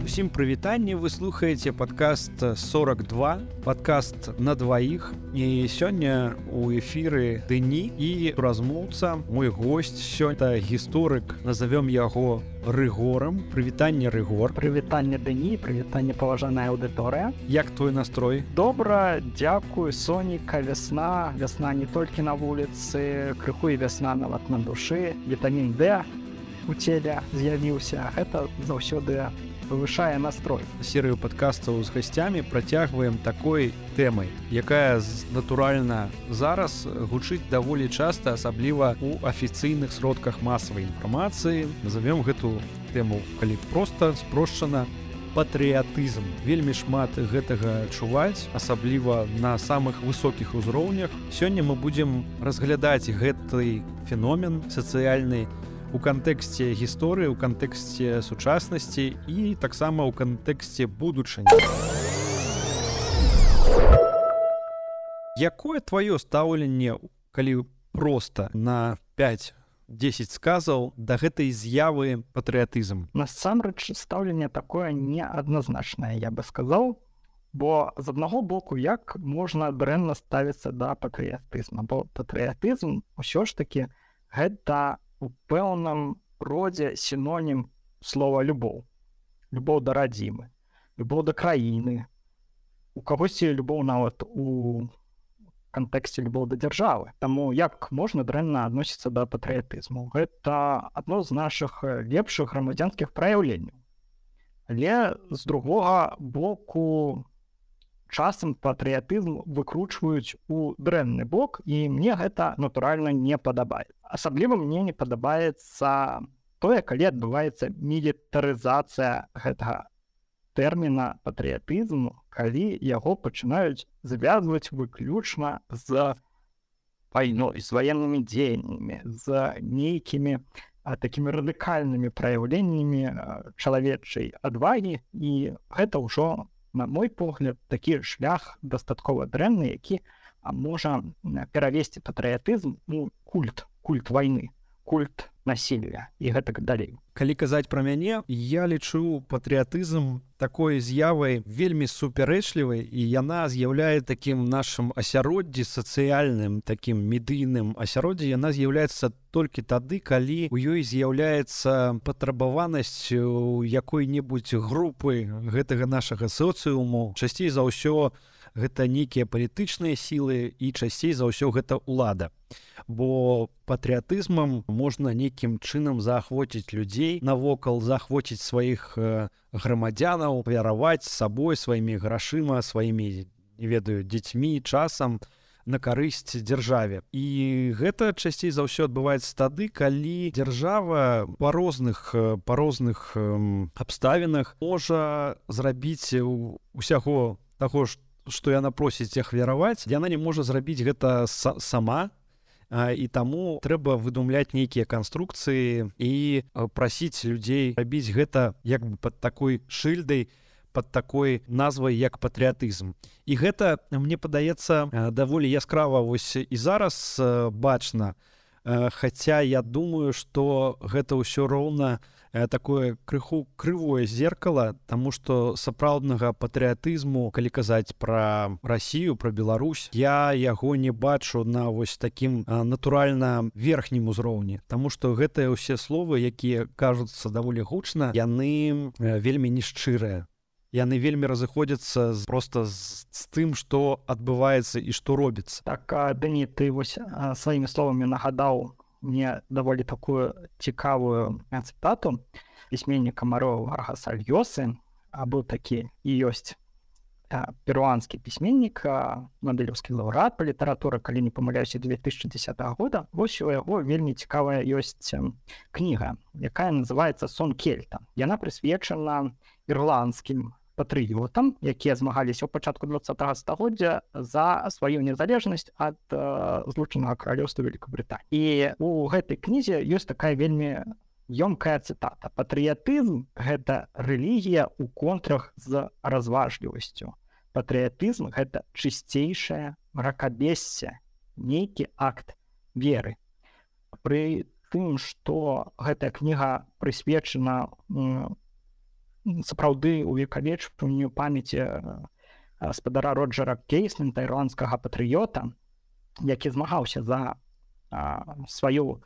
Усім прывітанне, вы слухаеце падкаст 42, падкаст на дваіх. І сёння у эфіры Дэні і размоўца, мой госць сёння гісторык, назовём яго Рыгорам. Прывітанне, Рыгор. Прывітанне, Дэні, прывітанне, паважаная аўдыторыя. Як твой настрой? Добра, дзякую, сонейка, вясна. Вясна не толькі на вуліцы, крыху і вясна нават на душы. Вітамін Д у целе з'явіўся. Гэта заўсёды павышае настрой. Серыю падкастаў з гасцямі працягваем такой тэмай, якая натуральна зараз гучыць даволі часта, асабліва у афіцыйных сродках масавай інфармацыі. Назовём гэту тэму, калі проста спрошчана, патрыятызм. Вельмі шмат гэтага чуваць, асабліва на самых высокіх узроўнях. Сёння мы будзем разглядаць гэты феномен сацыяльны у кантэксце гісторыі, у кантэксце сучаснасці і таксама ў кантэксце будучыні. Якое тваё стаўленне, калі проста на 5-10 сказаў, да гэтай з'явы патрыятызм? Насамрэч, стаўленне такое неадназначнае, я бы сказаў, бо з аднаго боку, як можна дрэнна ставіцца да патрыятызма, бо патрыятызм усё ж такі гэта у пэўным родзе сінонім слова любоў. Любоў да радзімы, любоў да краіны. У кагосьці любоў нават у кантэксце любоў да дзяржавы. Таму як можна дрэнна адносіцца да патрыятызму? Гэта адно з нашых лепшых грамадзянскіх праяўленняў. Але з другога боку, часам патрыятызм выкручваюць у дрэнны бок, і мне гэта натуральна не падабаецца. Асабліва мне не падабаецца тое, калі адбываецца мілітарызацыя гэтага тэрміна патрыятызму, калі яго пачынаюць звязваць выключна з вайной, з ваеннымі дзеяннямі, з нейкімі такімі радыкальнымі праяўленнямі чалавечай адвагі, і гэта ўжо, на мой погляд, такі шлях дастаткова дрэнны, які можа перавесці патрыятызм у культ вайны, культ насілля і гэтак далей. Калі казаць пра мяне, я лічу патрыятызм такой з'явай вельмі супярэчлівай, і яна з'яўляе такім нашым асяроддзі сацыяльным, такім медыйным асяроддзі, яна з'яўляецца толькі тады, калі у ёй з'яўляецца патрабаванасць у якой-небудзь групы гэтага нашага соцыуму. Часцей за ўсё гэта нейкія палітычныя сілы і часцей за ўсё гэта ўлада. Бо патрыятызмам можна нейкім чынам заахвоціць людзей навокал, заахвоціць сваіх грамадзянаў, вяраваць сабой, сваімі грашыма, сваімі, не ведаю, дзецьмі, часам на карысць дзяржаве. І гэта часцей за ўсё адбываецца тады, калі дзяржава па розных абставінах можа зрабіць усяго таго, што яна просіць ахвяраваць, яна не можа зрабіць гэта сама, і таму трэба выдумляць нейкія канструкцыі і прасіць людзей рабіць гэта як бы пад такой шыльдай, пад такой назвай, як патрыятызм. І гэта, мне падаецца, даволі яскрава вось і зараз бачна, хаця я думаю, што гэта ўсё роўна такое крыху крывое зеркало, таму што сапраўднага патрыятызму, калі казаць пра Расію, пра Беларусь, я яго не бачу на вось такім натуральна верхнім узроўні, таму што гэтыя ўсе словы, якія кажуцца даволі гучна, яны вельмі нешчырыя. Яны вельмі разыходзяцца проста з тым, што адбываецца і што робіцца. Так, Дэні, ты вось сваімі словамі нагадаў мне даволі такую цікавую цытату пісьменніка Мароа Варгаса Льёсы. Быў такі і ёсць перуанскі пісьменнік, нобелеўскі лаўрэат па літаратуры, калі не памыляюся, 2010 года. Вось у яго вельмі цікавая ёсць кніга, якая называецца «Сон Кельта». Яна прысвечана ірландскім патрыётам, якія змагаліся ў пачатку 20-го стагоддзя за сваю незалежнасць ад злучанага каралеўства Вялікабрытаніі. І у гэтай кнізе ёсць такая вельмі ёмкая цытата. Патрыятызм – гэта рэлігія ў контрах з разважлівасцю. Патрыятызм – гэта чысцейшае мракабессе, нейкі акт веры. Пры тым, што гэтая кніга прысвечана сапраўды увекавечванню памяці гаспадара Роджера Кейснента, ірландскага патрыёта, які змагаўся за сваю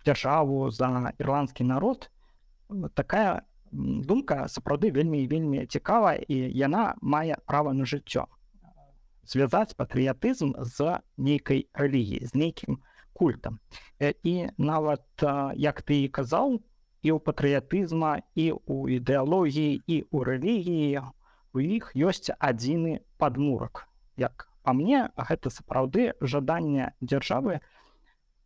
дзяржаву, за ірландскі народ. Такая думка сапраўды вельмі і вельмі цікавая, і яна мае права на жыццё. Звязаць патрыятызм з нейкай рэлігіяй, з нейкім культам. І нават, як ты і казаў, і ў патрыятызма, і ў ідэалогіі, і ў рэлігіі у іх ёсць адзіны падмурак. Як па мне, гэта сапраўды жаданне дзяржавы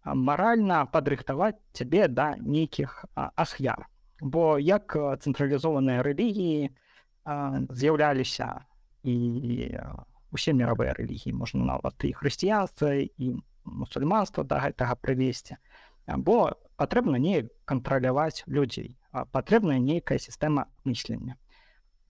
маральна падрыхтаваць цябе да нейкіх ахвяр. Бо як цэнтралізованыя рэлігіі з'яўляліся і усе міравыя рэлігіі, можна нават і хрысціянства, і мусульманства да гэтага прывесці. Бо патрэбна неяк кантраляваць людзей, патрэбная нейкая сістэма мыслення.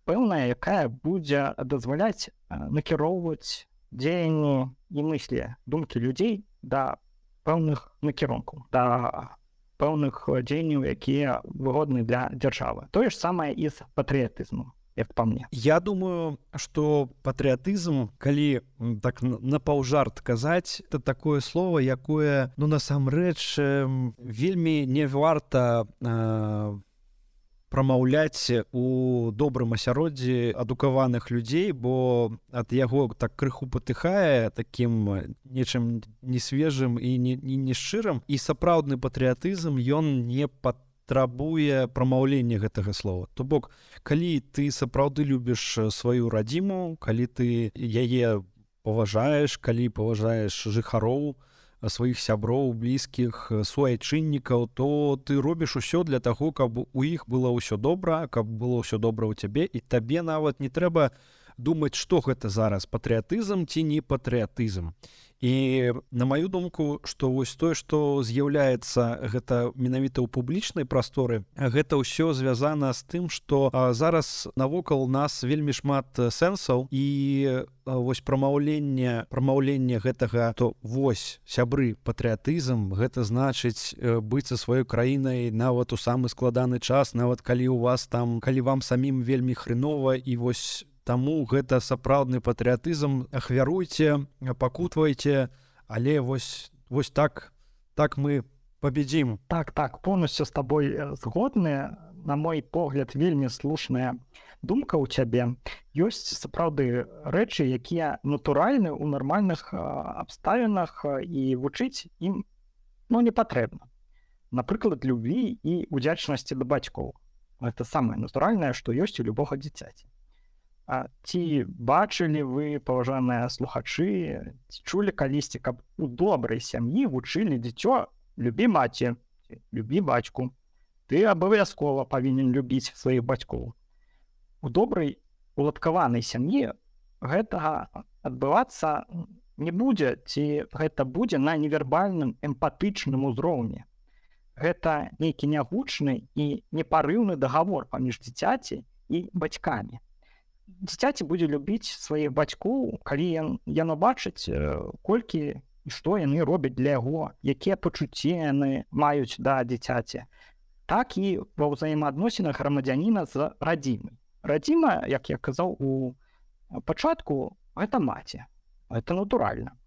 Пэўная, якая будзе дазваляць накіроўваць дзеянні і мыслі, думкі людзей да пэўных накірункаў, да пэўных дзеянняў, якія выгодны для дзяржавы. Тое ж самае і з патрыятызмом, як па мне. Я думаю, што патрыятызм, калі так напаўжарт казаць, это такое слово, якое, насамрэч вельмі не варта прамаўляць у добрым асяроддзі адукаваных людзей, бо ад яго так крыху патыхае такім нечым несвежым і нешчырым. І сапраўдны патрыятызм, ён не патрабуе прамаўлення гэтага слова. То бок, калі ты сапраўды любіш сваю радзіму, калі ты яе паважаеш, калі паважаеш жыхароў, сваіх сяброў, блізкіх, суайчыннікаў, то ты робіш усё для таго, каб у іх было ўсё добра, каб было ўсё добра ў цябе, і табе нават не трэба думаць, што гэта зараз, патрыятызм ці не патрыятызм. І на маю думку, што вось тое, што з'яўляецца гэта менавіта ў публічнай прасторы, гэта ўсё звязана з тым, што зараз навокал нас вельмі шмат сэнсаў, і вось прамаўленне гэтага, то вось, сябры, патрыятызм, гэта значыць быць са сваёй краінай нават у самы складаны час, нават калі у вас там, калі вам самім вельмі хрэнова, і вось таму гэта сапраўдны патрыятызм, ахвяруйце, пакутвайце, але вось так мы пабедзім. Так, поўнасцю з табой згодны. На мой погляд, вельмі слушная думка ў цябе. Ёсць сапраўды рэчы, якія натуральны ў нармальных абставінах, і вучыць ім не патрэбна. Напрыклад, любві і удзячнасці да бацькоў. Гэта самае натуральнае, што ёсць у любога дзіцяці. Ці бачылі вы, паважаныя слухачы, ці чулі калісьці, каб у добрай сям'і вучылі дзіцё: любі маці, любі бацьку, ты абавязкова павінен любіць сваіх бацькоў. У добрай уладкаванай сям'і гэтага адбывацца не будзе, ці гэта будзе на невербальным эмпатычным узроўні. Гэта нейкі нягучны і непарыўны дагавор паміж дзіцяці і бацькамі. Дзіцяці будзе любіць сваіх бацькоў, калі яно бачыць, колькі і што яны робяць для яго, якія пачуцці яны маюць да дзіцяці. Так і ва ўзаемаадносінах грамадзяніна з радзімай. Радзіма, як я казаў у пачатку, гэта маці. Гэта натуральна.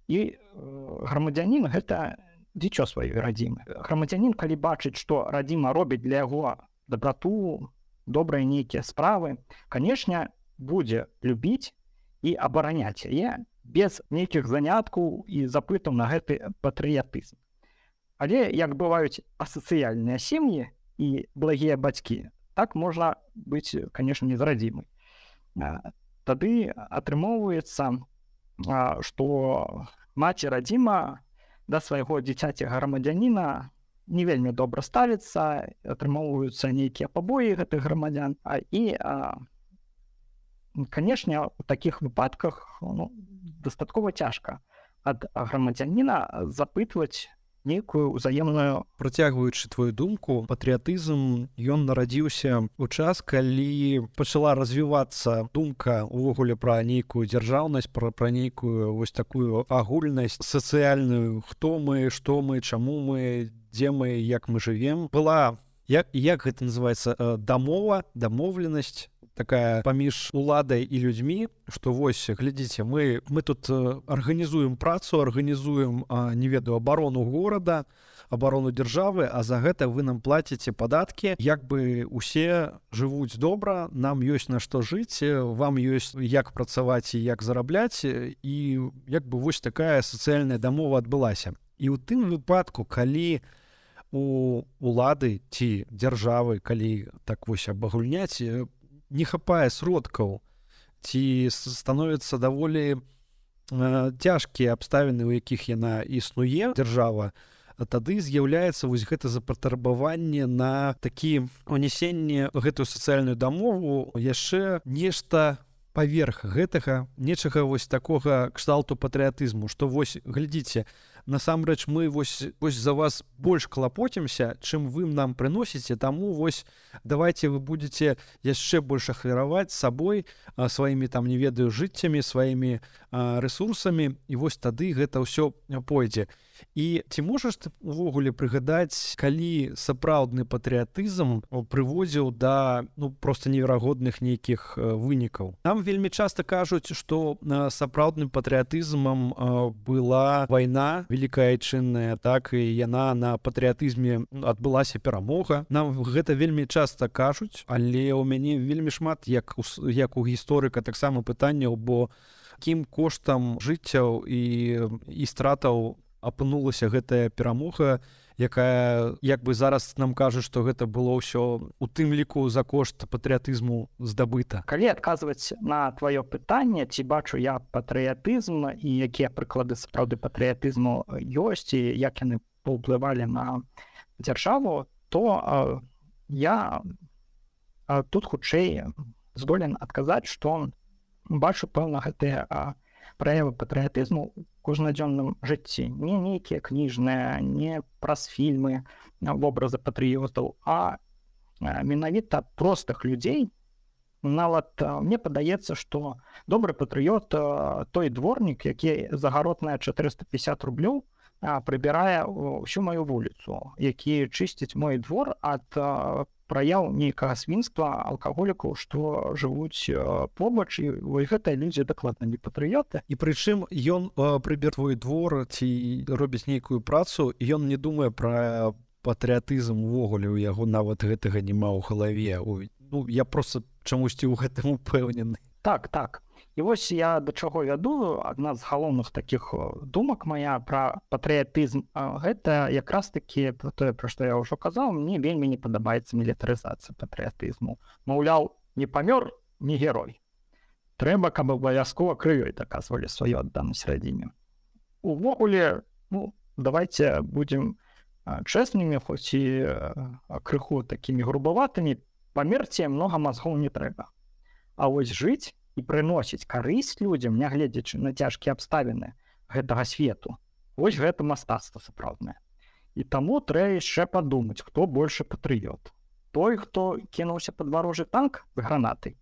І грамадзянін — гэта дзіцё сваёй радзімы. Грамадзянін, калі бачыць, што радзіма робіць для яго дабрату, добрыя нейкія справы, канешне, будзе любіць і абараняць яе без нейкіх заняткаў і запытаў на гэты патрыятызм. Але як бываюць асацыяльныя сем'і і благія бацькі, так можна быць, канешне, не з радзімай. Тады атрымоўваецца, што маці радзіма да свайго дзіцяці грамадзяніна не вельмі добра ставіцца, атрымоўваюцца нейкія пабоі гэтых грамадзян. І, канешне, у такіх выпадках дастаткова цяжка ад грамадзяніна запытваць нейкую ўзаемную. Працягваючы твою думку, патрыятызм ён нарадзіўся ў час, калі пачала развівацца думка ўвогуле пра нейкую дзяржаўнасць, пра нейкую вось такую агульнасць сацыяльную, хто мы, што мы, чаму мы, дзе мы, як мы жывем. Была, як гэта называецца, дамоўленасць такая паміж уладай і людзьмі, што вось, глядзіце, мы тут арганізуем працу, арганізуем, не ведаю, абарону горада, абарону дзяржавы, а за гэта вы нам плаціце падаткі, як бы усе жывуць добра, нам ёсць на што жыць, вам ёсць як працаваць і як зарабляць, і як бы вось такая сацыяльная дамова адбылася. І ў тым выпадку, калі у улады ці дзяржавы, калі так вось абагульняць, не хапае сродкаў, ці становяцца даволі цяжкія абставіны, у якіх яна існуе, дзяржава, тады з'яўляецца вось гэта запатрабаванне на такі унесенне гэтую сацыяльную дамову яшчэ нешта паверх гэтага, нечага вось такога кшталту патрыятызму, што вось, глядзіце, насамрэч мы вось за вас больш клапоцімся, чым вы нам прыносіце, таму вось давайте вы будете яшчэ больш ахвяраваць сабой, сваімі там, не ведаю, жыццямі, сваімі рэсурсамі, і вось тады гэта ўсё пойдзе. І ці можаш ты увогуле прыгадаць, калі сапраўдны патрыятызм прыводзіў да проста неверагодных нейкіх вынікаў? Нам вельмі часта кажуць, што сапраўдным патрыятызмам была вайна Великая Айчынная, так, і яна на патрыятызме адбылася перамога. Нам гэта вельмі часта кажуць, але ў мяне вельмі шмат, як у гісторыка, таксама пытанняў, бо якім коштам жыццяў і стратаў апынулася гэтая перамога, якая, як бы зараз нам кажуць, што гэта было ўсё у тым ліку за кошт патрыятызму здабыта. Калі адказваць на тваё пытанне, ці бачу я патрыятызм і якія прыклады сапраўды патрыятызму ёсць і як яны паўплывалі на дзяржаву, то я тут хутчэй здолен адказаць, што бачу пэўна гэтыя праявы патрыятызму ў кожнадзённым жыцці. Не нейкія кніжныя, не праз фільмы, вобразы патрыётаў, а менавіта простых людзей. Нават мне падаецца, што добры патрыёт той дворнік, які за гаротныя 450 рублёў прыбірае ўсю маю вуліцу, які чысціць мой двор ад праяў нейкага свінства алкаголікаў, што жывуць побач, і гэтыя людзі дакладна не патрыёты. І прычым ён прыбір твой двор ці робіць нейкую працу, і ён не думае пра патрыятызм увогуле, у яго нават гэтага няма ў галаве. Я проста чамусьці ў гэтым упэўнены. Так. І вось я да чаго вяду, адна з галоўных такіх думак моя пра патрыятызм, гэта якраз такі тое, пра што я ўжо казаў, мне вельмі не падабаецца мілітарызацыя патрыятызму. Маўляў, не памёр, не герой. Трэба, каб абавязкова крывёй даказвалі сваю адданасць радзіме. Увогуле, давайте будзем чэснымі, хоць і крыху такімі грубаватымі, памерці многа мазгоў не трэба. А вось жыць і прыносіць карысць людзям, нягледзячы на цяжкія абставіны гэтага свету, вось гэта мастацтва сапраўднае. І таму трэба яшчэ падумаць, хто большы патрыёт. Той, хто кінуўся пад варожы танк з гранатай,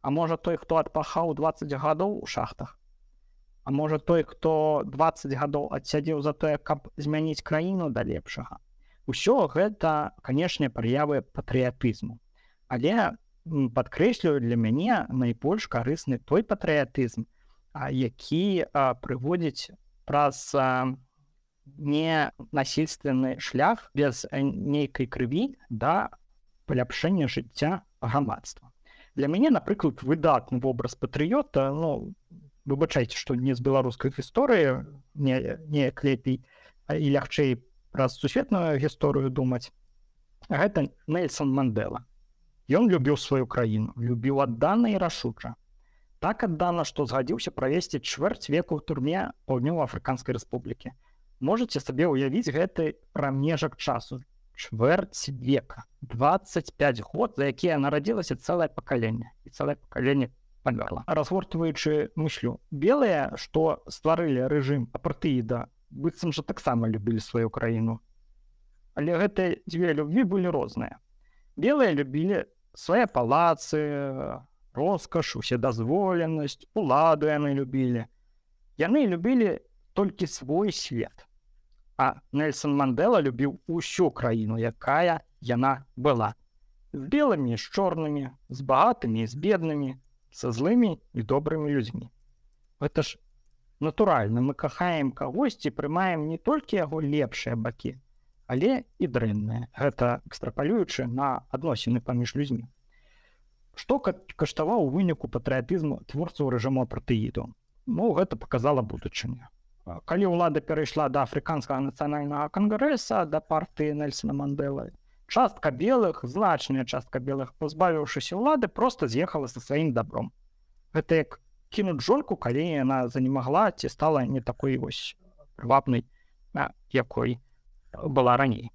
а можа той, хто адпахаў 20 гадоў у шахтах, а можа той, хто 20 гадоў адсядзеў за тое, каб змяніць краіну да лепшага. Усё гэта, канешне, праявы патрыятызму. Але падкрэслюю, для мяне найбольш карысны той патрыятызм, які прыводзіць праз ненасільственны шлях без нейкай крыві да паляпшэння жыцця грамадства. Для мяне, напрыклад, выдатны вобраз патрыёта, выбачайце, што не з беларускай гісторыі, неяк лепей і лягчэй праз сусветную гісторыю думаць, гэта Нельсон Мандела. Ён любіў сваю краіну, любіў аддана і рашуча. Так аддана, што згадзіўся правесці чвэрць веку ў турме Паўднёва-Афрыканскай рэспублікі. Можаце сабе ўявіць гэты прамежак часу. Чвэрць века. 25 год, за якія нарадзілася цэлае пакаленне. І цэлае пакаленне памёрла. Разгортваючы мыслю, белыя, што стварылі рэжым апартеіда быццам жа таксама любілі сваю краіну. Але гэтыя дзве любві былі розныя. Белыя любілі свае палацы, роскаш, уседазволенасць, уладу яны любілі. Яны любілі толькі свой свет. А Нельсон Мандэла любіў усю краіну, якая яна была. З белымі, з чорнымі, з багатымі, з беднымі, са злымі і добрымі людзьмі. Гэта ж натуральна, мы кахаем кагосьці, прымаем не толькі яго лепшыя бакі, але і дрэнныя. Гэта экстрапалюючы на адносіны паміж людзьмі. Што каштаваў у выніку патрыятызму творцаў рэжыму апартэіду? Гэта паказала будучыню. Калі ўлада перайшла да Афрыканскага нацыянальнага кангрэса, да партыі Нельсона Мандэлы, частка белых, значная частка белых, пазбавіўшыся ўлады, проста з'ехала са сваім дабром. Гэта як кінуць жонку, калі яна занемагла ці стала не такой вось прывабнай, якой была раней.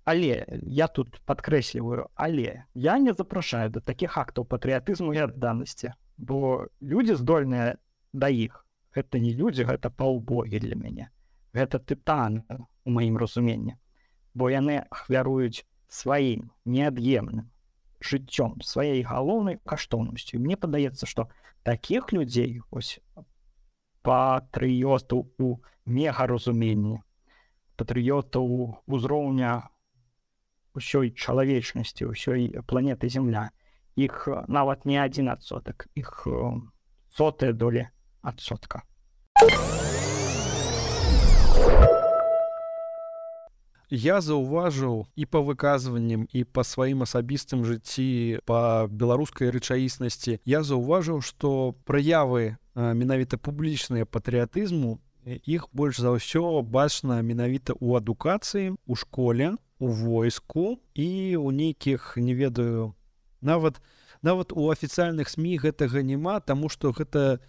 Але, я тут падкрэсліваю, але я не запрашаю да такіх актаў патрыятызму і адданасці, бо людзі здольныя да іх. Гэта не людзі, гэта паўбогі для мяне. Гэта тытаны, у маім разуменні. Бо яны ахвяруюць сваім неад'емным жыццём, сваей галоўнай каштоўнасцю. Мне падаецца, што такіх людзей, ось патрыётаў у мегаразуменні, патрыётаў узроўня ўсёй чалавечнасці, ўсёй планеты Зямля, іх нават не 1%, іх сотыя долі адсотка. Я заўважыў і па выказванням, і па сваім асабістым жыцці, па беларускай рэчаіснасці, я заўважыў, што праявы менавіта публічныя патрыятызму, іх больш за ўсё бачна менавіта ў адукацыі, у школе, у войску і ў нейкіх, не ведаю, нават у афіцыяльных СМІ гэтага няма, таму што гэта,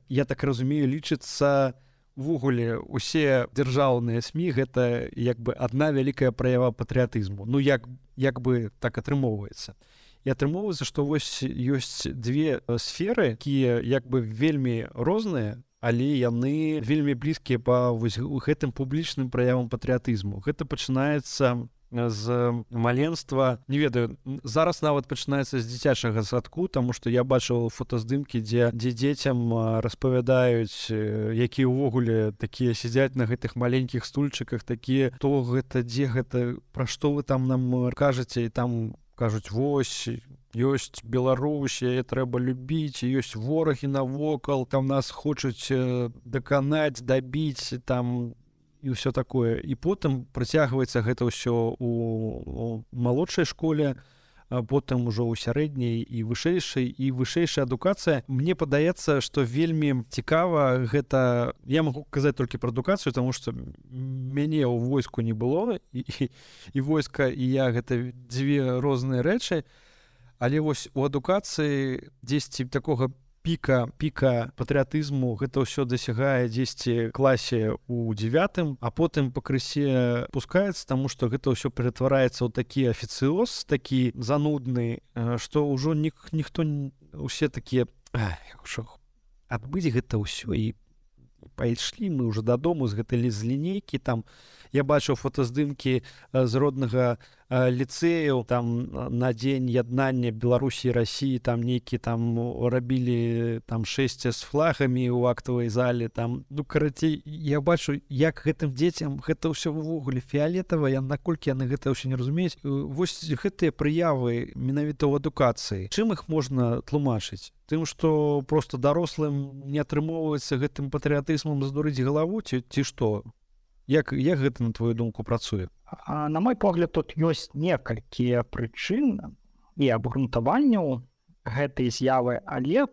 я так разумею, лічыцца увогуле усе дзяржаўныя СМІ гэта як бы адна вялікая праява патрыятызму. Як бы так атрымоўваецца. І атрымоўваецца, што вось ёсць две сферы, якія як бы вельмі розныя, але яны вельмі блізкія па вось гэтым публічным праявам патрыятызму. Гэта пачынаецца з маленства, не ведаю, зараз нават пачынаецца з дзіцячага садку, таму што я бачыў фотаздымкі, дзе дзецям распавядаюць, якія ўвогуле такія сядзяць на гэтых маленькіх стульчыках, такія, то гэта, дзе гэта, пра што вы там нам кажаце, і там кажуць, вось, ёсць Беларусь, яе трэба любіць, ёсць ворагі навокал, там нас хочуць даканаць, дабіць, там і ўсё такое. І потым працягваецца гэта ўсё у малодшай школе, потым ужо ў сярэдняй і вышэйшай, і вышэйшая адукацыя. Мне падаецца, што вельмі цікава гэта, я магу казаць толькі пра адукацыю, таму што мяне ў войску не было, і войска, і я, гэта дзве розныя рэчы, але вось у адукацыі дзесьці такога піка патрыятызму гэта ўсё дасягае дзесьці класе ў 9, а потым пакрысе пускаецца, таму што гэта ўсё ператвараецца ў такі афіцыоз, такі занудны, што ўжо ніхто, усе такія, адбыць гэта ўсё, і пайшлі мы ўжо дадому з гэтай лінейкі, там я бачыў фотаздымкі з роднага ліцэяў, там на дзень яднання Беларусі і Расіі, там нейкі там рабілі там шэсце з флагамі ў актавай зале, там, карацей, я бачу, як гэтым дзецям гэта ўсё ўвогуле фіялетава, наколькі яны гэта ўсё не разумеюць. Вось гэтыя прыявы менавіта ў адукацыі, чым іх можна тлумачыць? Тым, што проста дарослым не атрымоўваецца гэтым патрыятызмам здурыць галаву, ці што? Як гэта, на твою думку, працуе? На мой погляд, тут ёсць некалькі прычын і абгрунтаванняў гэтай з'явы, але,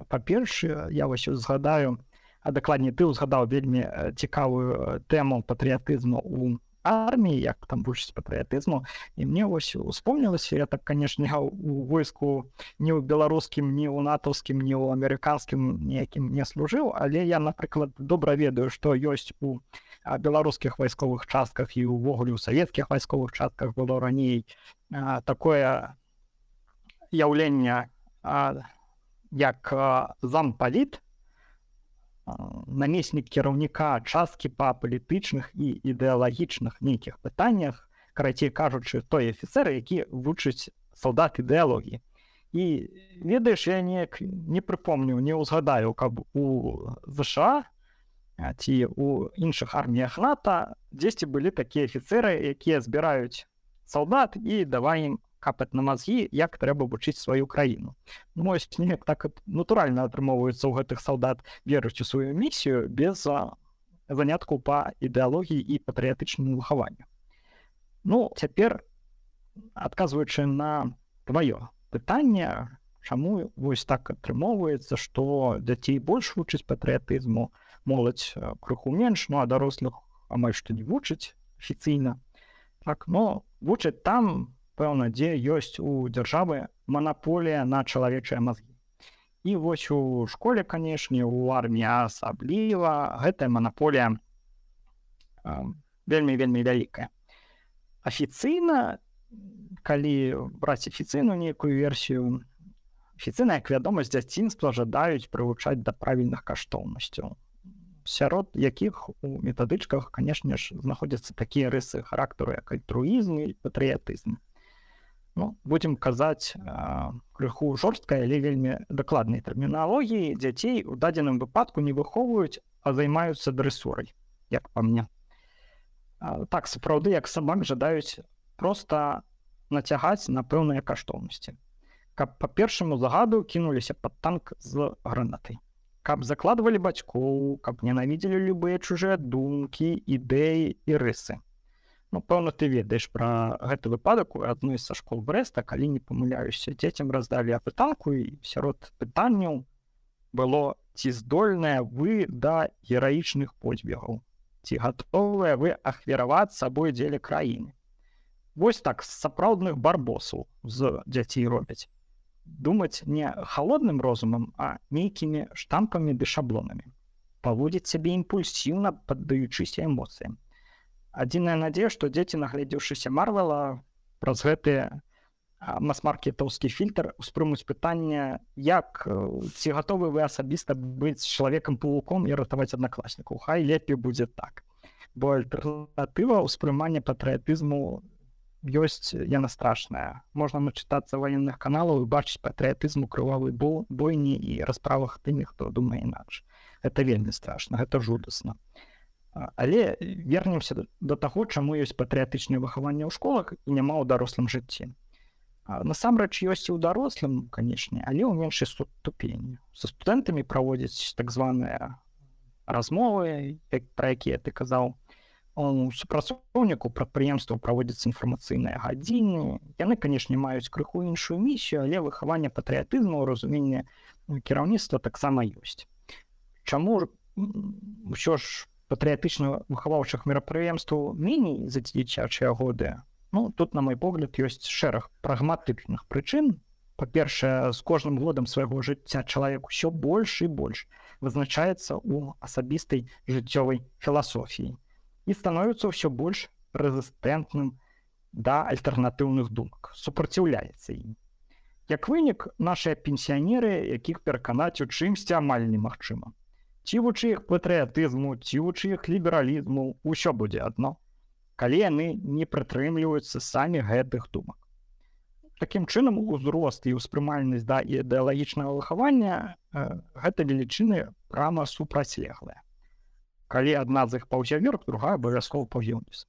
па-першае, я вось згадаю, а дакладней ты ўзгадаў вельмі цікавую тэму патрыятызму ў арміі, як там вучаць патрыятызму, і мне вось успомнілася, я так, канешне, у войску ні ў беларускім, ні ў натаўскім, ні ў амерыканскім ніякім не служыў, але я, напрыклад, добра ведаю, што ёсць у беларускіх вайсковых частках і ўвогуле ў савецкіх вайсковых частках было раней такое яўленне як зампаліт, намеснік кіраўніка часткі па палітычных і ідэалагічных нейкіх пытаннях, карацей кажучы, той афіцэр, які вучыць салдат ідэалогіі. І ведаеш, я не прыпомню, не ўзгадаю, каб у ЗША ці у іншых арміях НАТО дзесьці былі такія афіцэры, якія збіраюць салдат і давай ім капаць на мазгі, як трэба вучыць сваю краіну. Мой неяк так натуральна атрымоўваецца ў гэтых салдат верыць у сваю місію без заняткаў па ідэалогіі і патрыятычнаму выхаванню. Ну, цяпер, адказваючы на тваё пытанне, чаму вось так атрымоўваецца, што дзяцей больш вучыць патрыятызму, моладзь крыху менш, ну а дарослых амаль што не вучыць афіцыйна. Так, но вучаць там, пэўна, дзе ёсць у дзяржавы манаполія на чалавечыя мазгі. І вось у школе, канешне, у арміі асабліва гэтая манаполія вельмі-вельмі вялікая. Афіцыйна, калі браць афіцыйную нейкую версію, афіцыйна, як вядома, з дзяцінства жадаюць прывучаць да правільных каштоўнасцяў, сярод якіх у метадычках, канешне ж, знаходзяцца такія рысы характару, як альтруізм і патрыятызм. Ну, будзем казаць крыху жорсткай, але вельмі дакладнай тэрміналогіі, дзяцей у дадзеным выпадку не выхоўваюць, а займаюцца дрэсурай, як па мне. Так, сапраўды, як сабак жадаюць проста нацягаць на пэўныя каштоўнасці. Каб па першаму загаду кінуліся пад танк з гранатай. Каб закладвалі бацькоў, каб ненавідзелі любыя чужыя думкі, ідэі і рысы. Ну, пэўна, ты ведаеш пра гэты выпадак у адной са школ Брэста, калі не памыляюся, дзецям раздалі апытанку, і сярод пытанняў было: ці здольныя вы да гераічных подзвігаў? Ці гатовыя вы ахвяраваць сабой дзеля краіны? Вось так з сапраўдных барбосаў з дзяцей робяць. Думаць не халодным розумам, а нейкімі штампамі ды шаблонамі. Паводзіць сябе імпульсіўна, паддаючыся эмоцыям. Адзіная надзея, што дзеці, нагледзеўшыся Марвела, праз гэты мас-маркетаўскі фільтр успрымуць пытанне, як ці гатовы вы асабіста быць чалавекам-павуком і ратаваць аднакласнікаў. Хай лепей будзе так. Бо альтэрнатыва ўспрымання патрыятызму ёсць, яна страшная. Можна начытацца ваенных каналаў і бачыць патрыятызм у крывавай бойні і расправах тымі, хто думае інакш. Гэта вельмі страшна, гэта жудасна. Але вернемся да таго, чаму ёсць патрыятычнае выхаванне ў школах і няма ў дарослым жыцці. Насамрэч ёсць і ў дарослым, канешне, але ў меншай ступені. Са студэнтамі праводзяць так званыя размовы, пра якія ты казаў. У супрацоўніку прадпрыемстваў праводзяцца інфармацыйныя гадзіны. Яны, канешне, маюць крыху іншую місію, але выхаванне патрыятызму ў разуменні кіраўніцтва таксама ёсць. Чаму ўсё ж патрыятычна-выхаваўчых мерапрыемстваў меней за дзіцячыя годы? Ну, тут, на мой погляд, ёсць шэраг прагматычных прычын. Па-першае, з кожным годам свайго жыцця чалавек усё больш і больш вызначаецца ў асабістай жыццёвай філасофіі і становіцца ўсё больш рэзістэнтным да альтэрнатыўных думак, супраціўляецца ім. Як вынік, нашыя пенсіянеры, якіх пераканаць у чымсьці амаль немагчыма. Ці вучы іх патрыятызму, ці вучы іх лібералізму, усё будзе адно, калі яны не прытрымліваюцца самі гэтых думак. Такім чынам, узрост і ўспрымальнасць да ідэалагічнага выхавання гэта велічыны прама супрацьлеглыя. Калі адна з іх паўзе вверх, другая абавязкова паўзе ўніз.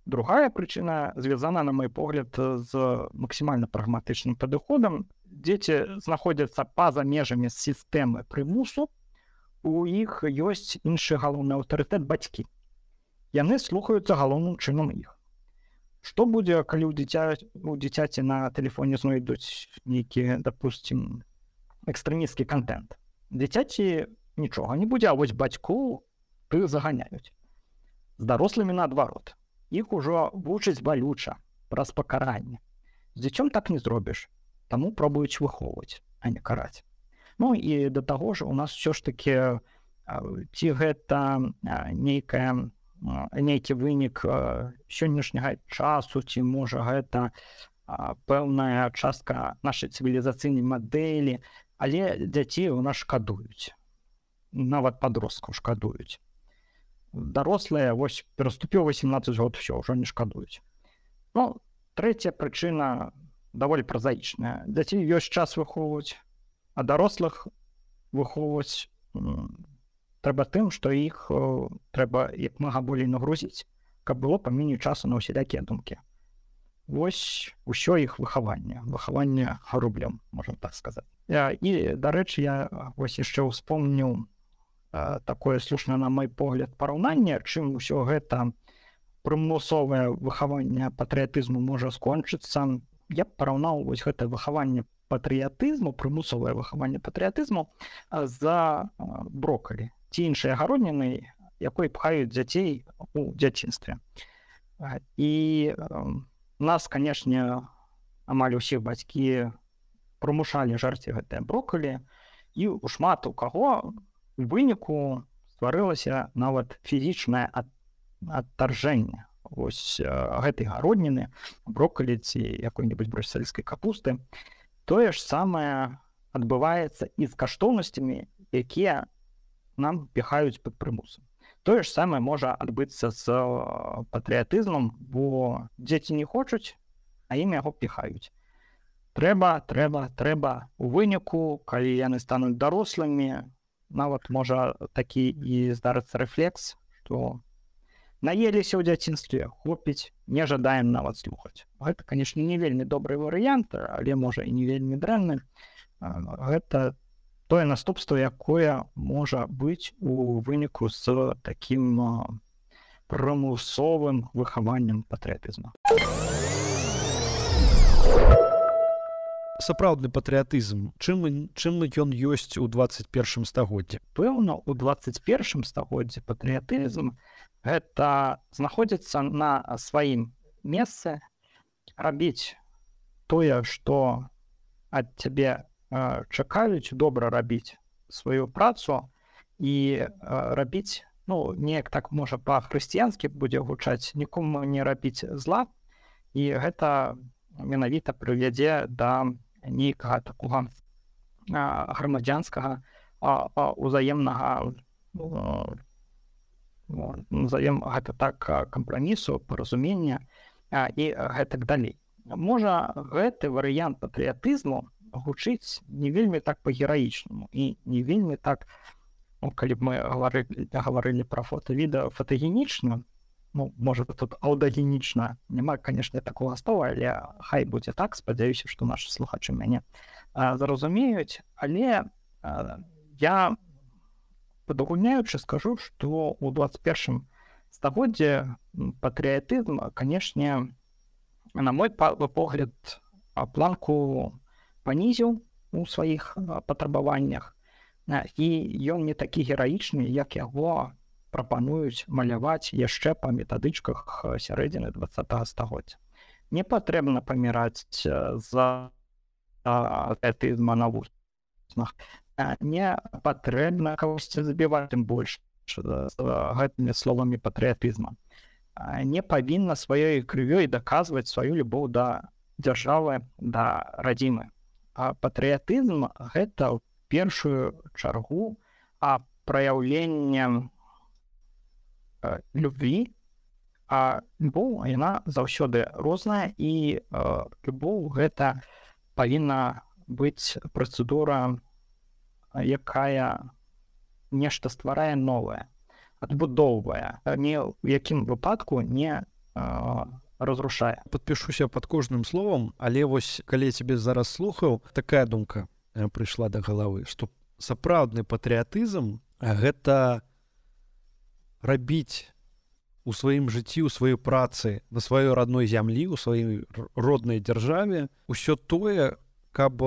Другая прычына звязана, на мой погляд, з максімальна прагматычным падыходам. Дзеці знаходзяцца па-за межамі сістэмы прымусу, у іх ёсць іншы галоўны аўтарытэт — бацькі. Яны слухаюцца галоўным чынам іх. Што будзе, калі у дзіцяці на тэлефоне знойдуць нейкі, дапусцім, экстрэмісцкі контент? Дзіцяці нічога не будзе, а вось бацьку ты заганяюць. З дарослымі наадварот. Іх ужо вучаць балюча, праз пакаранне. З дзіцём так не зробіш, таму пробуюць выхоўваць, а не караць. Ну і да таго ж у нас ўсё ж такі, ці гэта нейкі вынік сённяшняга часу, ці можа гэта пэўная частка нашай цывілізацыйнай мадэлі, але дзяцей у нас шкадуюць. нават падросткаў шкадуюць. Дарослыя вось пераступіў 18 год, ўсё ўжо не шкадуюць. Ну, трэцяя прычына даволі празаічная. Дзяцей ёсць час выхоўваць, а дарослых выхоўваць трэба тым, што іх трэба як мага болей нагрузіць, каб было паменей часу на ўсялякія думкі. Вось усё іх выхаванне гарублем, можна так сказаць. І, дарэчы, я вось яшчэ ўспомніў такое слушнае, на мой погляд, параўнанне, чым усё гэта прымусовае выхаванне патрыятызму можа скончыцца. Я б параўнаў вось гэта выхаванне патрыятызму, прымусовае выхаванне патрыятызму за броккалі ці іншыя гародніны, якой пхаюць дзяцей у дзяцінстве. І нас, канешне, амаль усіх бацькі прымушалі жарці гэтыя броккалі, і у шмат у каго у выніку стварылася нават фізічнае адтаржэнне вось гэтай гародніны, броккалі ці якой-небудзь брусельскай капусты. Тое ж самае адбываецца і з каштоўнасцямі, якія нам піхаюць пад прымусам. Тое ж самае можа адбыцца з патрыятызмам, бо дзеці не хочуць, а ім яго піхаюць. Трэба. У выніку, калі яны стануць дарослымі, нават можа такі і здарыцца рэфлекс, што наеліся ў дзяцінстве, хопіць, не жадаем нават слухаць. Гэта, канешне, не вельмі добры варыянт, але можа і не вельмі дрэнны. Гэта тое наступства, якое можа быць у выніку з такім прымусовым выхаваннем патрыятызму. Сапраўдны патрыятызм, чым ён ёсць у 21 стагоддзі? Пэўна, у 21 стагоддзі патрыятызм гэта знаходзіцца на сваім месцы, рабіць тое, што ад цябе чакаюць, добра рабіць сваю працу і рабіць, неяк так можа па-хрысціянскі будзе гучаць, нікому не рабіць зла, і гэта менавіта прывядзе да нейкага такога грамадзянскага узаемнага, назовем гэта так, кампрамісу, паразумення і гэтак далей. Можа, гэты варыянт патрыятызму гучыць не вельмі так па-гераічнаму і не вельмі так, калі б мы гаварылі пра фота-відэа, фотагенічна, можа, тут аўдагенічна, няма, канешне, такога слова, але хай будзе так, спадзяюся, што нашы слухачы мяне зразумеюць, але я падагульняючы скажу, што ў 21 стагоддзі патрыятызм, канешне, на мой погляд, планку панізіў у сваіх патрабаваннях, і ён не такі гераічны, як яго прапануюць маляваць яшчэ па метадычках сярэдзіны 20 стагоддзя. Не патрэбна паміраць за патрыятызма на вуснах. Не патрэбна кагосьці забіваць, тым больш з гэтымі словамі патрыятызма. Не павінна сваёй крывёй даказваць сваю любоў да дзяржавы, да радзімы. А патрыятызм гэта ў першую чаргу праяўленне любві, а любоў, яна заўсёды розная, і любоў гэта павінна быць працэдура, якая нешта стварае новае, адбудоўвае, ні ў якім выпадку не разрушае. Падпішуся пад кожным словам, але вось калі я цябе зараз слухаў, такая думка прыйшла да галавы, што сапраўдны патрыятызм гэта рабіць у сваім жыцці, у сваёй працы на сваёй родной зямлі, у сваёй роднай дзяржаве ўсё тое, каб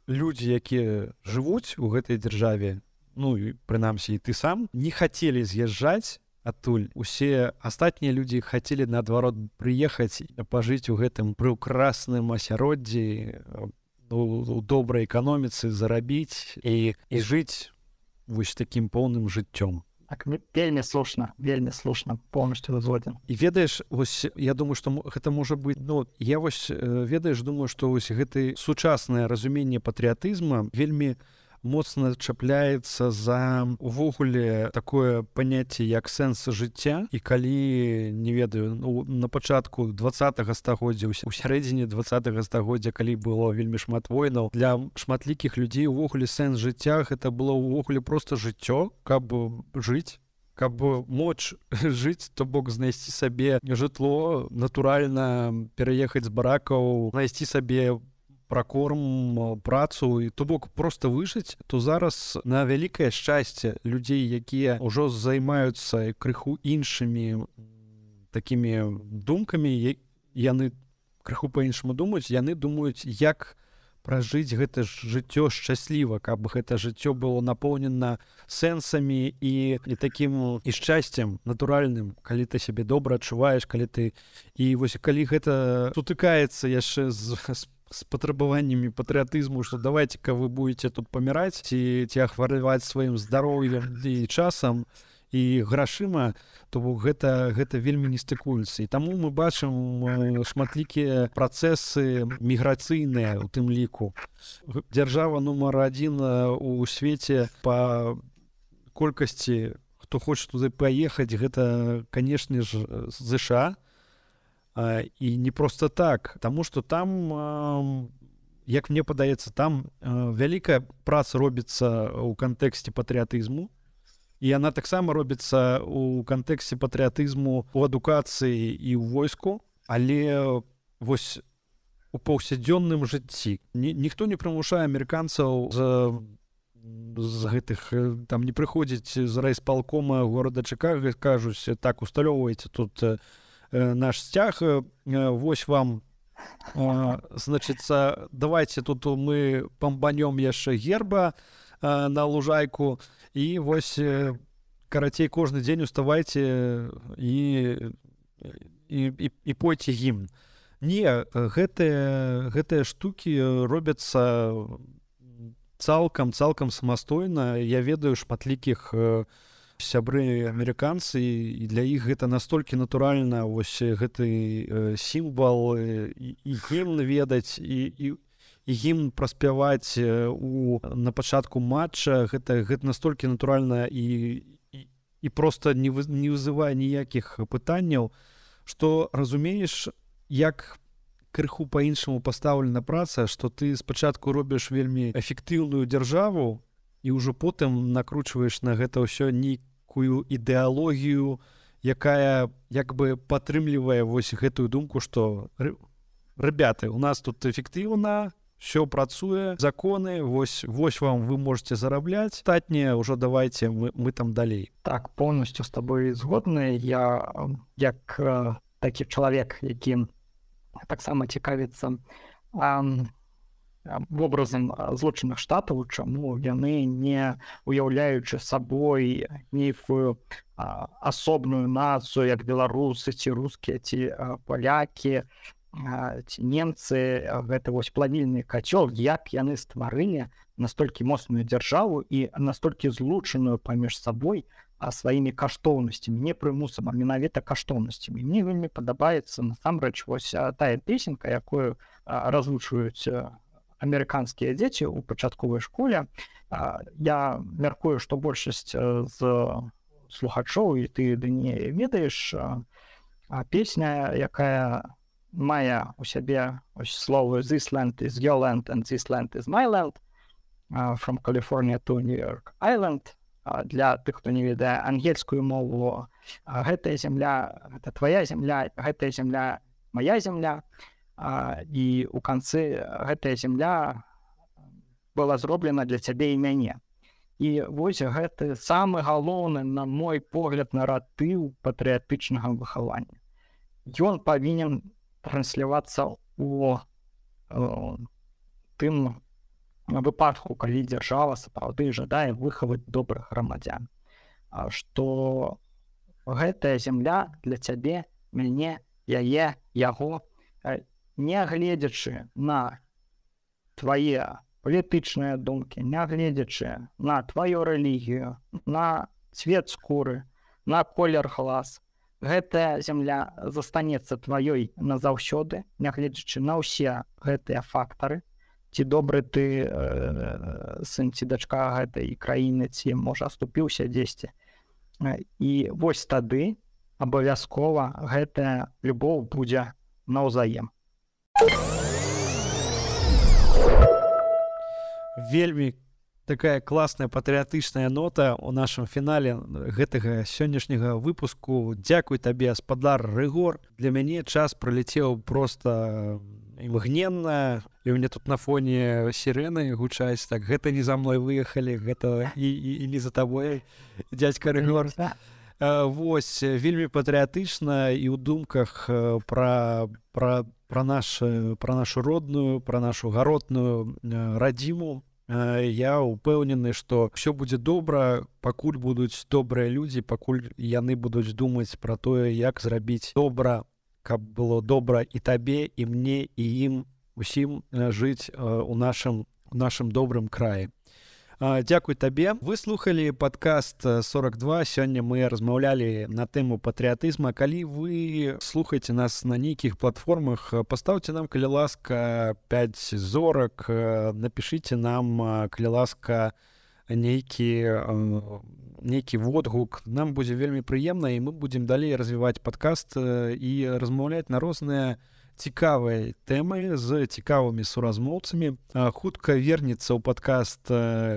людзі, якія жывуць у гэтай дзяржаве, і прынамсі і ты сам, не хацелі з'язджаць адтуль. Усе астатнія людзі хацелі, наадварот, прыехаць і пажыць у гэтым прыўкрасным асяроддзі, у добрай эканоміцы, зарабіць і жыць вось такім поўным жыццём. Так, вельмі слушна, поўнасцю згоден. І ведаеш, вось я думаю, што гэта можа быць, я вось, ведаеш, думаю, што вось гэты сучаснае разуменне патрыятызма вельмі моцна чапляецца за увогуле такое паняцце як сэнс жыцця, і калі не ведаю, на пачатку 20-го стагоддзя, у сярэдзіне 20-го стагоддзя, калі было вельмі шмат войнаў, для шматлікіх людзей увогуле сэнс жыцця гэта было ўвогуле проста жыццё, каб жыць, каб моц жыць, то бок знайсці сабе жытло, натуральна пераехаць з баракаў, знайсці сабе пракорм, працу, і то бок проста выжыць, то зараз на вялікае шчасце людзей, якія ўжо займаюцца крыху іншымі такімі думкамі, яны крыху па-іншаму думаюць, яны думаюць, як пражыць гэта жыццё шчасліва, каб гэта жыццё было напоўнена сэнсамі і такім і шчасцем натуральным, калі ты сябе добра адчуваеш, калі ты... І вось калі гэта сутыкаецца яшчэ з патрабаваннямі патрыятызму, што давайце-ка вы будете тут паміраць ці ахвараваць сваім здароўем і часам, і грашыма, то гэта вельмі не стыкуецца. І таму мы бачым шматлікія працэсы міграцыйныя ў тым ліку. Дзяржава нумар 1 у свеце па колькасці, хто хоча туды паехаць, гэта, канешне ж, ЗША. І не проста так, таму што там, як мне падаецца, там вялікая праца робіцца ў кантэксце патрыятызму, і яна таксама робіцца ў кантэксце патрыятызму у адукацыі і ў войску, але вось у паўсядзённым жыцці ніхто не прымушае амерыканцаў з гэтых, там не прыходзіць з райсполкома горада Чикаго, кажуць, так, усталёўвайце тут наш сцяг, вось вам, значыцца, давайте тут мы памбанём яшчэ герба на лужайку, і вось, карацей, кожны дзень уставайце і пойце гімн. Не, гэтыя штукі робяцца цалкам самастойна. Я ведаю шматлікіх сябры амерыканцы, і для іх гэта настолькі натуральна, вось гэты сімвал і гімн ведаць, і гімн праспяваць на пачатку матча, гэта настолькі натуральна і проста не вызывае ніякіх пытанняў, што разумееш, як крыху па-іншаму пастаўлена праца, што ты спачатку робіш вельмі эфектыўную дзяржаву і ўжо потым накручваеш на гэта ўсё нейкую ідэалогію, якая як бы падтрымлівае вось гэтую думку, што ребята, у нас тут эфектыўна, все працуе, законы, вось вам вы можете зарабляць, астатняе ўжо давайте мы там далей. Так, полностью з тобой згодны. Я як такі чалавек, які таксама цікавіцца вобразам Злучаных Штатаў, чаму яны, не уяўляючы сабой нейкую асобную нацыю, як беларусы ці рускія ці палякі, ці немцы, гэта вось плавільны кацёл, як яны стварылі настолькі моцную дзяржаву і настолькі злучаную паміж сабой сваімі каштоўнасцямі, не прымусам, а менавіта каштоўнасцямі. Мне вельмі падабаецца насамрэч вось тая песенка, якую разучваюць амерыканскія дзеці ў пачатковай школе. Я мяркую, што большасць з слухачоў, і ты не ведаеш, песня, якая мае у сябе словы «This land is your land and this land is my land», from California to New York Island. Для тых, хто не ведае ангельскую мову, гэтая зямля, гэта твоя зямля, гэтая зямля, моя зямля, і ў канцы гэтая зямля была зроблена для цябе і мяне. І вось гэты самы галоўны, на мой погляд, наратыў патрыятычнага выхавання. Ён павінен транслявацца ў тым выпадку, калі дзяржава сапраўды жадае выхаваць добрых грамадзян, што гэтая зямля для цябе, мяне, яе, яго, нягледзячы на твае палітычныя думкі, нягледзячы на тваю рэлігію, на цвет скуры, на колер глаз, гэтая зямля застанецца тваёй назаўсёды, нягледзячы на ўсе гэтыя фактары, ці добры ты сын ці дачка гэтай краіны, ці можа аступіўся дзесьці. І вось тады абавязкова гэтая любоў будзе наўзаем. Вельмі такая класная патрыятычная нота ў нашым фінале гэтага сённяшняга выпуску. Дзякуй табе, спадар Рыгор. Для мяне час праляцеў проста імгненна, і ў мяне тут на фоне сірэны гучаць, так, гэта не за мной выехалі, гэта і не за табой, дзядзька Рыгор. Вось, вельмі патрыятычна і ў думках пра нашу родную, пра нашу гаротную радзіму. Я ўпэўнены, што ўсё будзе добра, пакуль будуць добрыя людзі, пакуль яны будуць думаць пра тое, як зрабіць добра, каб было добра і табе, і мне, і ім усім жыць у нашым добрым краі. Дзякуй табе. Вы слухалі падкаст 42. Сёння мы размаўлялі на тэму патрыятызма. Калі вы слухаеце нас на нейкіх платформах, пастаўце нам, калі ласка, 5 зорак, напішыце нам, калі ласка, нейкі водгук. Нам будзе вельмі прыемна, і мы будзем далей развіваць падкаст і размаўляць на розныя цікавыя тэмы з цікавымі суразмоўцамі. Хутка вернецца ў падкаст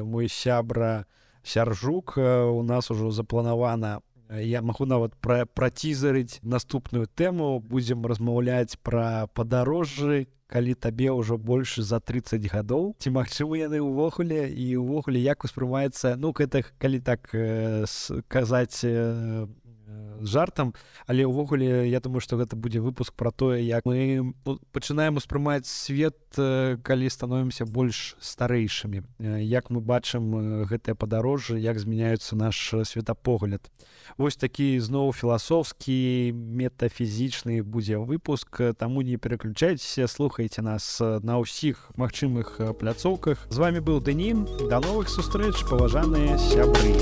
мой сябра Сяржук. У нас ужо запланавана, я магу нават працізарыць наступную тэму. Будзем размаўляць пра падарожжы, калі табе ўжо больш за 30 гадоў. Ці магчыма яны ўвогуле, і ўвогуле як успрымаецца, гэта калі так казаць жартам, але ўвогуле я думаю, што гэта будзе выпуск пра тое, як мы пачынаем успрымаць свет, калі становімся больш старэйшымі, як мы бачым гэтыя падарожжы, як змяняецца наш светапогляд. Вось такі зноў філасофскі, метафізічны будзе выпуск, таму не пераключайцеся, слухайце нас на ўсіх магчымых пляцоўках. З вами быў Дэнін, да новых сустрэч, паважаныя сябры.